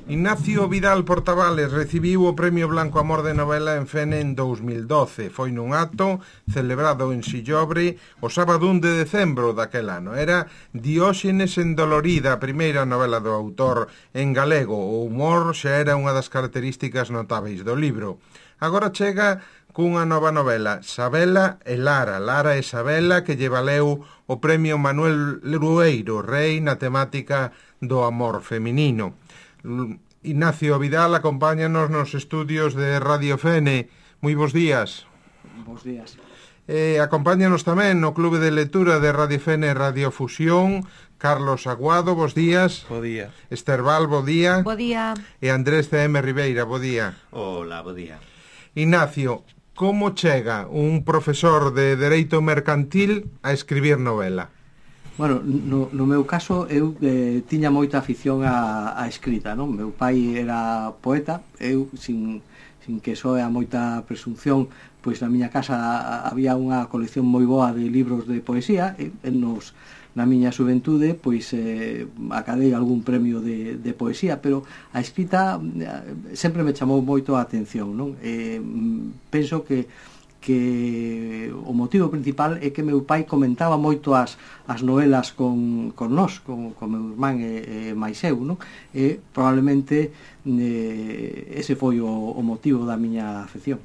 Ignacio Vidal Portavales recibiu o Premio Blanco Amor de Novela en Fene en 2012. Foi nun acto celebrado en Sillobre o sábado 1 de decembro daquel ano. Era Dióxenes endolorida, a primeira novela do autor en galego. O humor xa era unha das características notáveis do libro. Agora chega cunha nova novela, Sabela e Lara. Lara e Sabela, que lle valeu o Premio Manuel Lerueiro, rei na temática do amor feminino. Ignacio Vidal, acompáñanos nos estudios de Radio Fene. Moi bons días. Bons días. Acompáñanos tamén no Clube de Lectura de Radio Fene Radio Fusión Carlos Aguado, bons días. Bo día. Esterbal, bo día. Bo día. E Andrés C.M. Ribeira, bo día. Hola, bo día. Ignacio, como chega un profesor de Dereito Mercantil a escribir novela? Bueno, no meu caso eu tiña moita afición á escrita, non? Meu pai era poeta, eu sin que soe a moita presunción, pois na miña casa había unha colección moi boa de libros de poesía, e na miña xuventude pois acadei algún premio de poesía, pero a escrita sempre me chamou moito a atención, non? Penso que o motivo principal é que meu pai comentaba moito as novelas con nós, con meu irmán e máis eu, non? E probablemente ese foi o motivo da miña afección.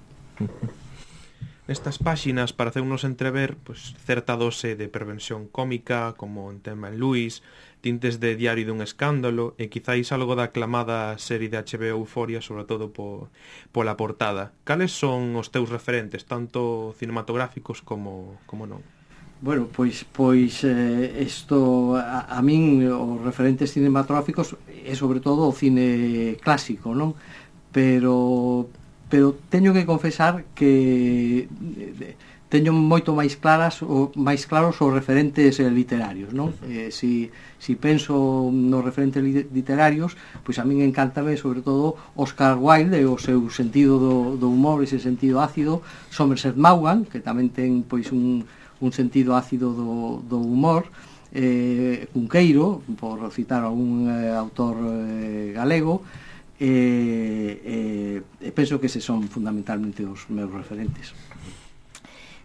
Nestas páxinas pareceunos entrever certa dose de pervención cómica, como en Thelma and Louise, tintes de Diario dun escándalo e quizáis algo da aclamada serie de HBO Euphoria, sobre todo pola portada. Cales son os teus referentes, tanto cinematográficos como non? Bueno, pois isto a min os referentes cinematográficos é sobre todo o cine clásico, non? Pero teño que confesar que teño moito máis claros os referentes literarios, non? Si penso nos referentes literarios, pois a min encántame sobre todo Oscar Wilde e o seu sentido do humor, ese sentido ácido, Somerset Maugham, que tamén ten pois un sentido ácido do humor, Cunqueiro, por citar algún autor galego, e penso que eses son fundamentalmente os meus referentes.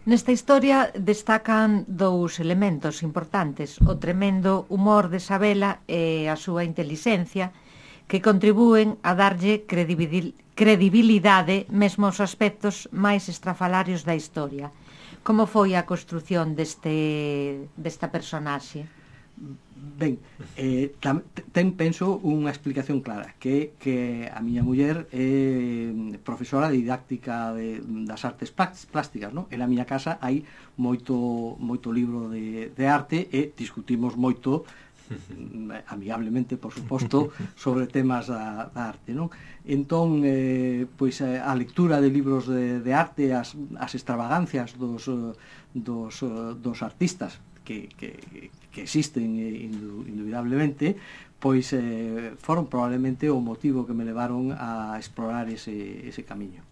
Nesta historia destacan dous elementos importantes: o tremendo humor de Sabela e a súa intelixencia, que contribúen a darlle credibilidade mesmo aos aspectos máis estrafalarios da historia. Como foi a construción desta personaxe? Ben, penso unha explicación clara, que a miña muller é profesora de didáctica das artes plásticas, non? En a miña casa hai moito libro de arte e discutimos moito, amigablemente, por suposto, sobre temas da arte, non? Entón, pois a lectura de libros de arte, as extravagancias dos artistas que existen indubidablemente, pois foron probablemente o motivo que me levaron a explorar ese camiño.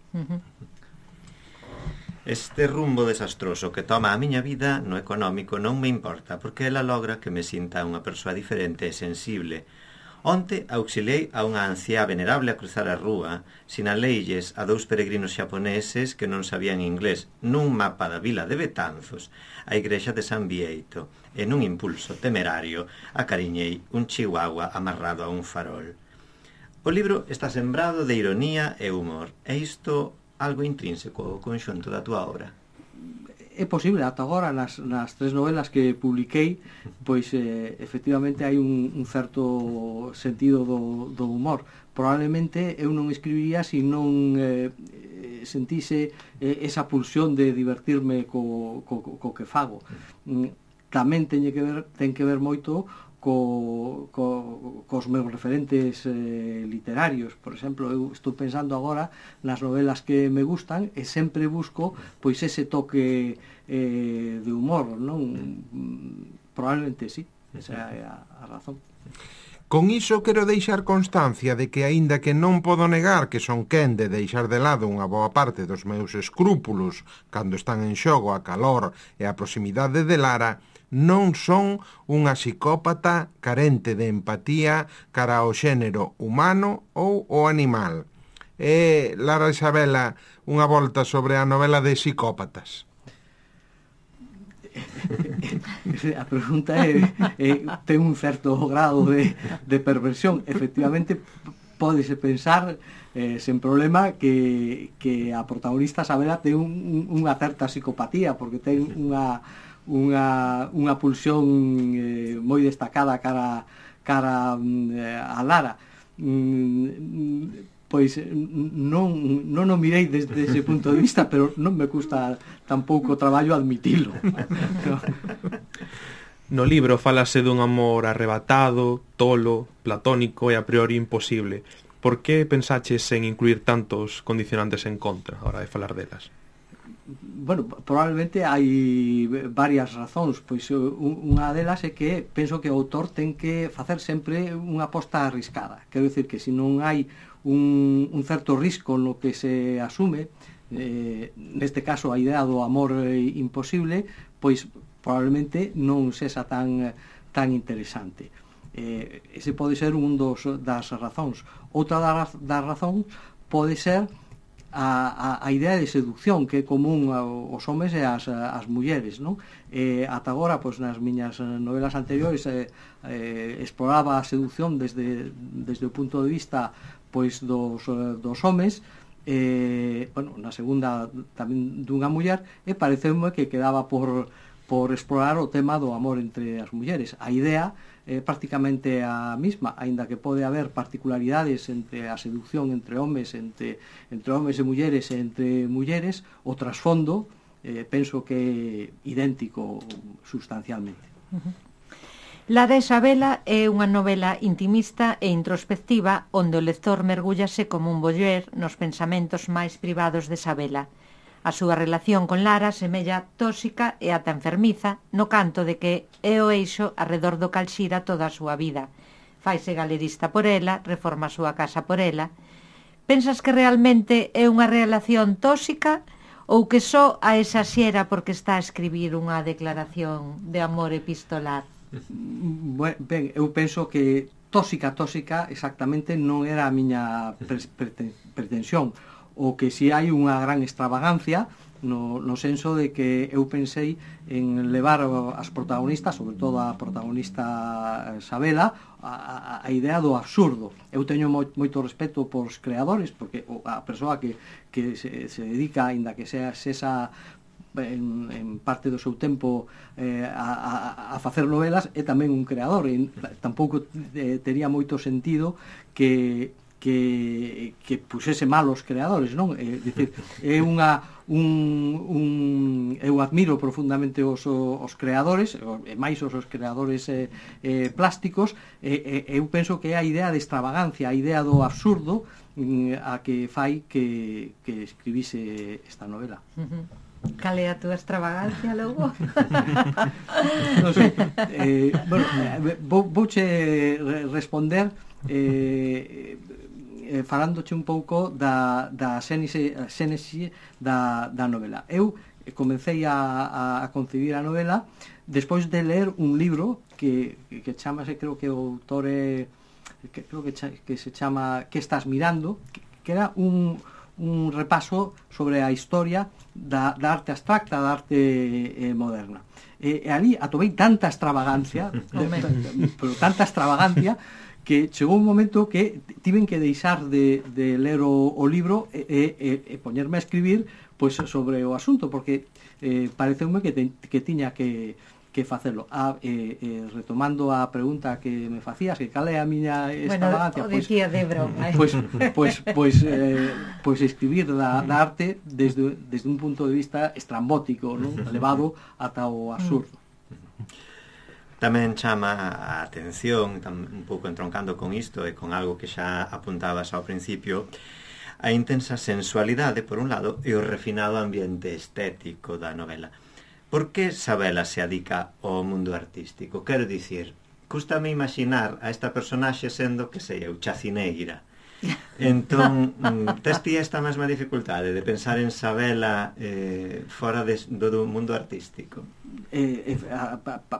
Este rumbo desastroso que toma a miña vida no económico non me importa, porque ela logra que me sinta unha persoa diferente e sensible. Onte auxiliei a unha anciá venerable a cruzar a rúa, sinaleilles a dous peregrinos xaponeses que non sabían inglés nun mapa da vila de Betanzos, a igrexa de San Bieito, e nun impulso temerario acariñei un chihuahua amarrado a un farol. O libro está sembrado de ironía e humor, e isto algo intrínseco ao conxunto da túa obra. É posible, ata agora nas tres novelas que publiquei, pois efectivamente hai un certo sentido do humor. Probablemente eu non escribiría se non sentise esa pulsión de divertirme co que fago. Tamén ten que ver moito cos meus referentes literarios. Por exemplo, eu estou pensando agora nas novelas que me gustan e sempre busco pois ese toque de humor, non? Probablemente sí, esa é a razón. Con iso quero deixar constancia de que, aínda que non podo negar que son quen de deixar de lado unha boa parte dos meus escrúpulos cando están en xogo a calor e a proximidade de Lara, non son unha psicópata carente de empatía cara ao xénero humano ou o animal. Lara Isabela, unha volta sobre a novela de Psicópatas. A pregunta ten un certo grado de perversión. Efectivamente, pódese pensar sen problema que a protagonista Sabela ten unha certa psicopatía, porque ten unha pulsión moi destacada cara a Lara. Pois non o mirei desde ese punto de vista, pero non me custa tampouco traballo admitilo. No libro falase dun amor arrebatado, tolo, platónico e a priori imposible. Por que pensaches en incluir tantos condicionantes en contra a hora de falar delas? Bueno, probablemente hai varias razóns. Pois unha delas é que penso que o autor ten que facer sempre unha aposta arriscada. Quero dicir que se non hai un certo risco no que se asume, neste caso a idea do amor imposible, pois probablemente non sexa tan interesante. Ese pode ser un das razóns. Outra das razóns pode ser a idea de seducción que é común aos homes e as mulleres, non? Ata agora, pois, nas miñas novelas anteriores exploraba a seducción desde o punto de vista, pois, dos homes, bueno, na segunda tamén dunha muller, e pareceume que quedaba por explorar o tema do amor entre as mulleres. A idea é prácticamente a mesma, aínda que pode haber particularidades entre a seducción entre homes, entre homes e mulleres, entre mulleres, o trasfondo penso que é idéntico sustancialmente. Lara Isabela é unha novela intimista e introspectiva onde o lector mergúllase como un voyeur nos pensamentos máis privados de Isabela. A súa relación con Lara semella tóxica e ata enfermiza no canto de que é o eixo arredor do cal xira toda a súa vida. Faise galerista por ela, reforma a súa casa por ela. Pensas que realmente é unha relación tóxica ou que só a exaxera porque está a escribir unha declaración de amor epistolar? Ben, eu penso que tóxica exactamente non era a miña pretensión. O que si hai unha gran extravagancia no senso de que eu pensei en levar as protagonistas, sobre todo a protagonista Sabela, a idea do absurdo. Eu teño moito respeto polos creadores, porque a persoa que se dedica, ainda que sea en parte do seu tempo a facer novelas, é tamén un creador, e tampouco tería moito sentido que puxese mal os creadores, non? É dicir, é eu admiro profundamente os creadores, e máis os creadores plásticos, eu penso que é a idea de extravagancia, a idea do absurdo a que fai que escribise esta novela. Cal é a túa extravagancia, logo? Non sei, bueno, vouche responder falándoche un pouco da xénese da novela. Eu comecei a concebir a novela despois de ler un libro que chamase, creo que o autor que se chama Que estás mirando, que era un repaso sobre a historia da arte abstracta, da arte moderna. E ali atopei tanta extravagancia, pero tanta extravagancia, que chegou un momento que tiven que deixar de ler o libro e poñerme a escribir pois sobre o asunto, porque pareceume que tiña que facelo. Retomando a pregunta que me facías, que cal é a miña extravagancia, bueno, o dicía de broma, pois escribir da arte desde un punto de vista estrambótico, non? Elevado ata o absurdo. Tamén chama a atención, un pouco entroncando con isto e con algo que xa apuntabas ao principio, a intensa sensualidade, por un lado, e o refinado ambiente estético da novela. Por que Sabela se adica ao mundo artístico? Quero dicir, cústame imaginar a esta personaxe sendo, que sei eu, chacineira. Entón, tes ti esta mesma dificultade de pensar en Sabela fora do mundo artístico?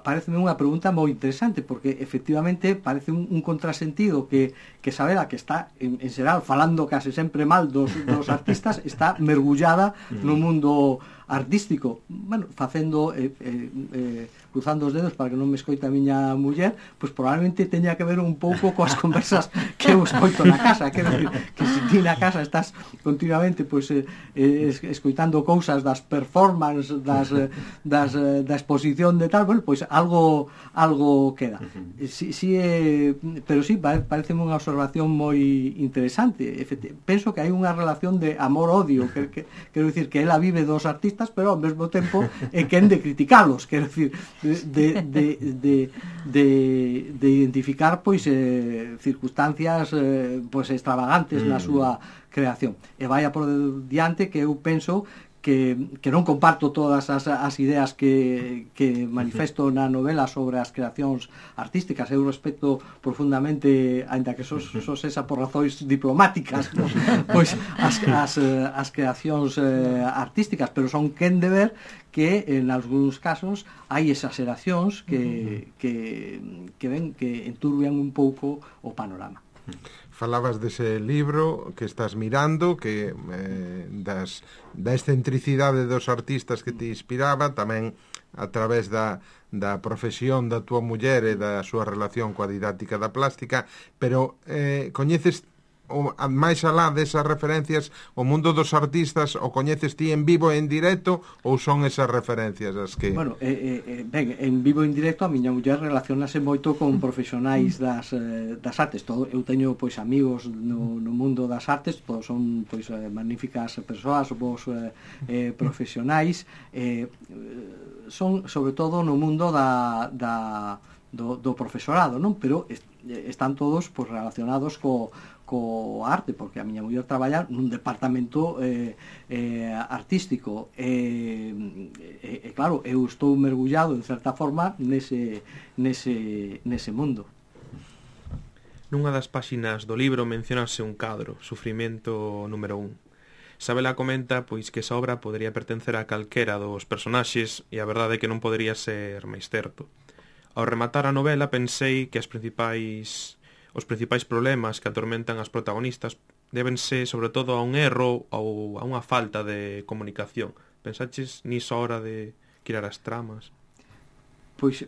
Pareceme unha pregunta moi interesante, porque efectivamente parece un contrasentido que Sabela, que está en xeral falando case sempre mal dos artistas, está mergullada no mundo artístico, bueno, facendo cruzando os dedos para que non me escoite a miña muller, pois probablemente teña que ver un pouco coas conversas que eu escoito na casa, quero dicir, que se ti na casa estás continuamente pois escoitando cousas das performance, da exposición de tal, bueno, pois algo queda. Pero sí, pareceme unha observación moi interesante. Penso que hai unha relación de amor-odio, quero dicir que ela vive dos artistas, pero ao mesmo tempo quen de criticalos, quero dicir, de identificar pois circunstancias pois extravagantes na súa creación. E vaya por diante que eu penso que non comparto todas as ideas que manifesto na novela sobre as creacións artísticas. Eu respeto profundamente, ainda que sos esa por razóns diplomáticas, ¿no? Pois as creacións artísticas, pero son quen de ver que en algúns casos hai exageracións que enturbian un pouco o panorama. Falabas dese libro que estás mirando, que da excentricidade dos artistas que te inspiraba, tamén a través da profesión da tua muller e da súa relación coa didáctica da plástica, pero coñeces máis alá desas referencias o mundo dos artistas, o coñeces ti en vivo e en directo, ou son esas referencias as que... Bueno, ben, en vivo e en directo a miña muller relacionase moito con profesionais das artes. Eu teño pois amigos no mundo das artes, todos son pois magníficas persoas, vos profesionais, son sobre todo no mundo do profesorado, non? Pero están todos pois relacionados co arte, porque a miña muller traballa nun departamento artístico e claro, eu estou mergullado en certa forma nese mundo. Nunha das páxinas do libro mencionase un cadro, Sufrimento número 1. Sabela comenta pois que esa obra podería pertencer a calquera dos personaxes e a verdade é que non podería ser máis certo. Ao rematar a novela pensei que os principais problemas que atormentan as protagonistas débense sobre todo a un erro ou a unha falta de comunicación. Pensaches niso a hora de criar as tramas? Pois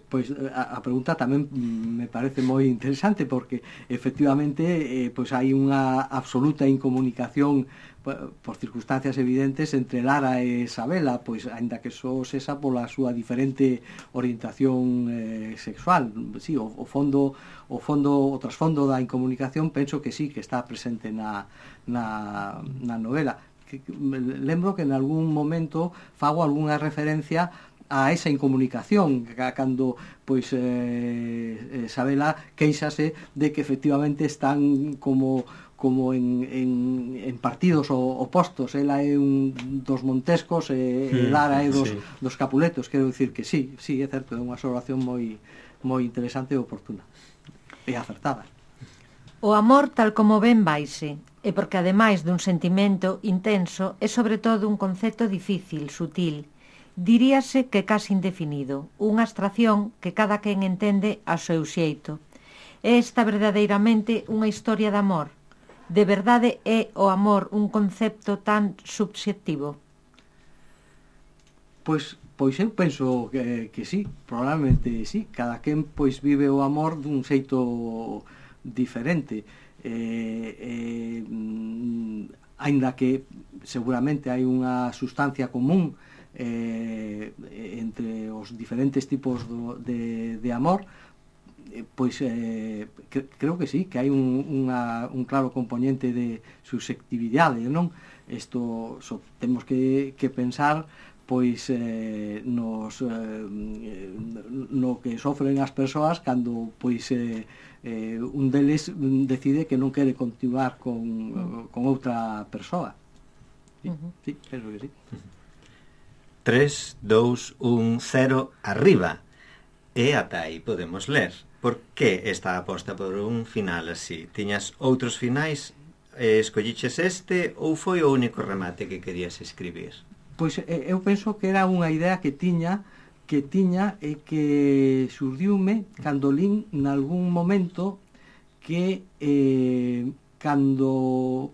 a pregunta tamén me parece moi interesante, porque efectivamente pois hai unha absoluta incomunicación por circunstancias evidentes entre Lara e Sabela, pois aínda que só esa pola súa diferente orientación sexual. Sí, o trasfondo da incomunicación penso que sí, que está presente na novela. Lembro que en algún momento fago algunha referencia a esa incomunicación, cando pois Sabela queixase de que efectivamente están como en partidos opostos. Ela é un dos Montescos e Lara é dos Capuletos. Quero dicir que sí, é certo, é unha observación moi interesante e oportuna e acertada. O amor tal como ben vaise, e porque ademais dun sentimento intenso é sobre todo un concepto difícil, sutil, diríase que casi indefinido, unha abstracción que cada quen entende a seu xeito. É esta verdadeiramente unha historia de amor? De verdade é o amor un concepto tan subxectivo? Pois eu penso que sí, probablemente sí. Cada quen pois vive o amor dun xeito diferente. Aínda que seguramente hai unha sustancia común entre os diferentes tipos de amor, pois creo que sí, que hai un claro componente de susceptibilidade, non? Isto temos que pensar pois no que sofren as persoas cando pois un deles decide que non quere continuar con outra persoa. Sí, penso que sí. 3, 2, 1, 0, arriba. E ata aí podemos ler. Por que esta aposta por un final así? Tiñas outros finais escolliches este ou foi o único remate que querías escribir? Pois eu penso que era unha idea que tiña e que surdiume cando lín nalgún momento que cando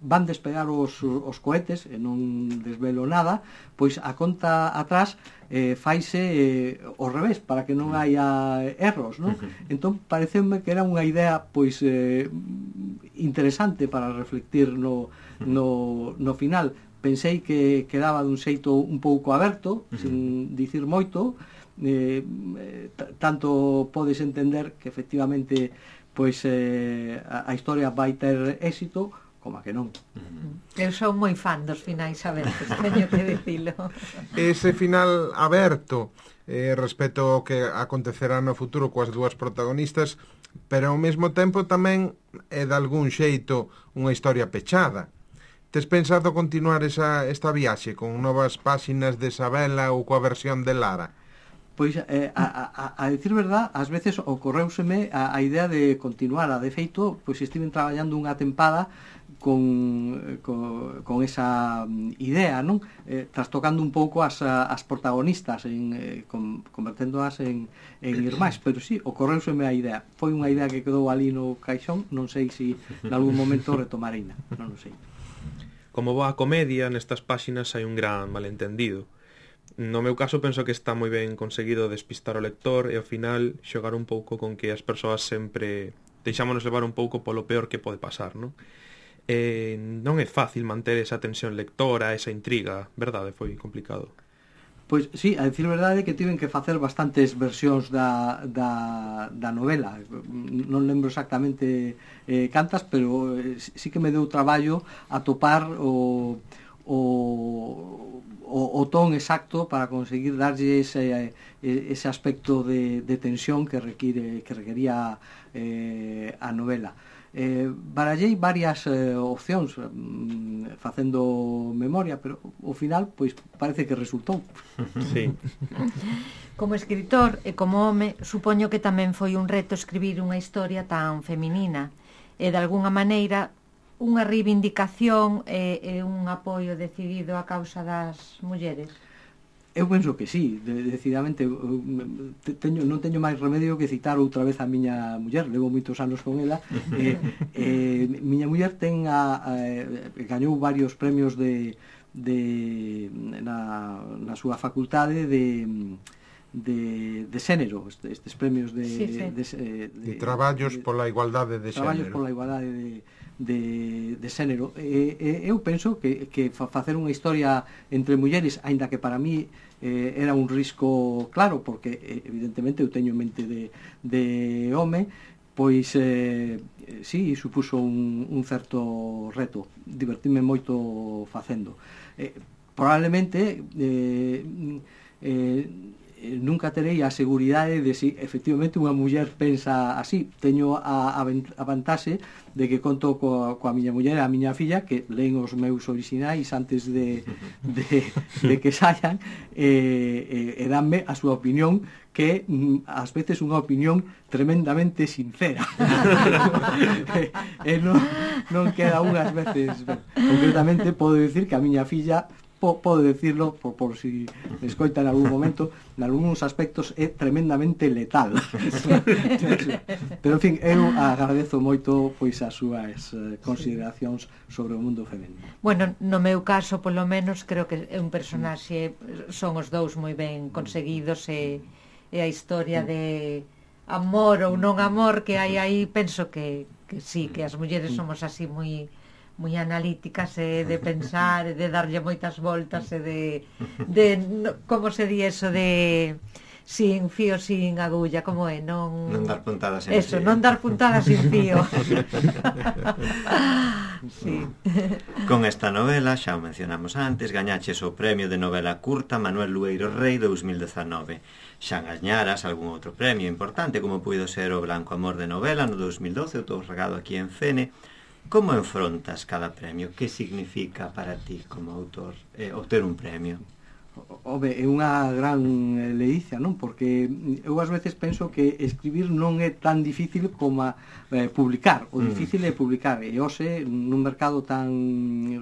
van despegar os cohetes, e non desvelo nada, pois a conta atrás faise ao revés, para que non haya erros, non? Entón, pareceume que era unha idea pois interesante para reflectir no final. Pensei que quedaba dun xeito un pouco aberto, sin dicir moito, tanto podes entender que efectivamente pois a historia vai ter éxito, como a que non. Eu sou moi fan dos finais abertos, teño que dicilo. Ese final aberto respecto ao que acontecerá no futuro coas dúas protagonistas, pero ao mesmo tempo tamén é de algún xeito unha historia pechada. Tes pensado continuar esta viaxe con novas páxinas de Sabela ou coa versión de Lara? Pois, a decir verdad, ás veces ocorreuseme a idea de continuar. De feito, pois estiven traballando unha tempada con esa idea, non? Trastocando un pouco as protagonistas, converténdoas en irmás, pero sí, ocorreuseme a idea. Foi unha idea que quedou ali no caixón, non sei se en algún momento retomareina, non o sei. Como boa comedia, nestas páxinas hai un gran malentendido. No meu caso, penso que está moi ben conseguido despistar o lector e ao final xogar un pouco con que as persoas sempre deixámonos levar un pouco polo peor que pode pasar, non? Non é fácil manter esa tensión lectora, esa intriga, verdade? Foi complicado. Pois sí, a decir verdade que tiven que facer bastantes versións da novela. Non lembro exactamente cantas, pero sí que me deu traballo atopar o ton exacto para conseguir darlle ese aspecto de tensión que requería a novela. Barallei varias opcións facendo memoria, pero ao final pois parece que resultou. Sí. Como escritor e como home, supoño que tamén foi un reto escribir unha historia tan feminina e de algunha maneira unha reivindicación e un apoio decidido á causa das mulleres. Eu penso que sí, decididamente. Non teño máis remedio que citar outra vez a miña muller. Levo moitos anos con ela. Miña muller gañou varios premios na súa facultade de xénero, estes premios de traballos pola igualdade de xénero. Traballos pola igualdade de xénero. Eu penso que facer unha historia entre mulleres, aínda que para mí era un risco claro, porque evidentemente eu teño mente de home, pois sí, supuso un certo reto. Divertime moito facendo. Probablemente nunca terei a seguridade de se efectivamente unha muller pensa así. Teño a vantaxe de que conto coa miña muller e a miña filla, que leen os meus orixinais antes de que saian, e danme a súa opinión, que ás veces unha opinión tremendamente sincera. E non queda unhas veces ben. Concretamente podo dicir que a miña filla, podo decirlo por si escoita en algún momento, en algúns aspectos é tremendamente letal. Pero en fin, eu agradezo moito pois as súas consideracións sobre o mundo femenino. Bueno, no meu caso, polo menos, creo que é un personaxe, son os dous moi ben conseguidos, e a historia de amor ou non amor que hai aí, penso que sí, que as mulleres somos así moi analíticas, e de pensar, e de darlle moitas voltas, e como se di eso de sin fío, sin agulla, como é? Non dar puntadas sin eso, fío. Non dar puntadas sin fío. Sí. Con esta novela, xa o mencionamos antes, gañaches o premio de novela curta Manuel Lueiro Rei 2019. Xa gañaras algún outro premio importante, como puido ser o Blanco Amor de novela no 2012, outorgado aquí en Fene. Como enfrontas cada premio? Que significa para ti como autor obter un premio? Home, é unha gran leicia, non? Porque eu ás veces penso que escribir non é tan difícil como publicar. O difícil é publicar. E hoxe, nun mercado tan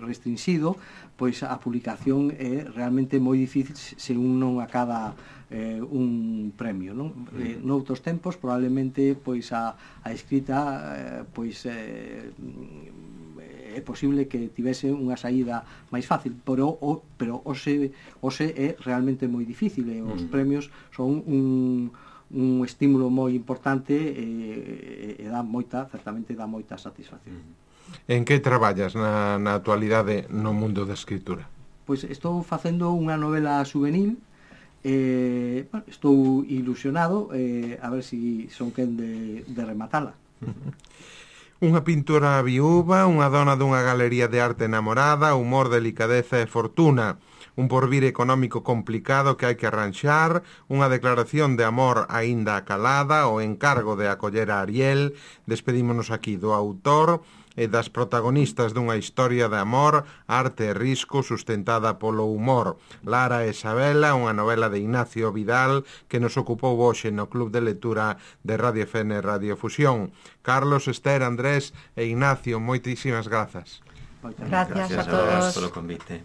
restringido, pois a publicación é realmente moi difícil se un non acada un premio, non? Noutros tempos, probablemente, pois a escrita pois é posible que tivese unha saída máis fácil, pero hoxe é realmente moi difícil, e os premios son un estímulo moi importante e certamente dá moita satisfacción. En que traballas na actualidade no mundo da escritura? Pois estou facendo unha novela juvenil, estou ilusionado, a ver se son quen de rematala. Unha pintora viúva, unha dona dunha galería de arte enamorada, humor, delicadeza e fortuna, un porvir económico complicado que hai que arranxar, unha declaración de amor aínda acalada, o encargo de acoller a Ariel. Despedímonos aquí do autor e das protagonistas dunha historia de amor, arte e risco sustentada polo humor. Lara e Sabela, unha novela de Ignacio Vidal que nos ocupou hoxe no Club de Lectura de Radio FN Radio Fusión. Carlos, Esther, Andrés e Ignacio, moitísimas grazas. Gracias a todos todos polo convite.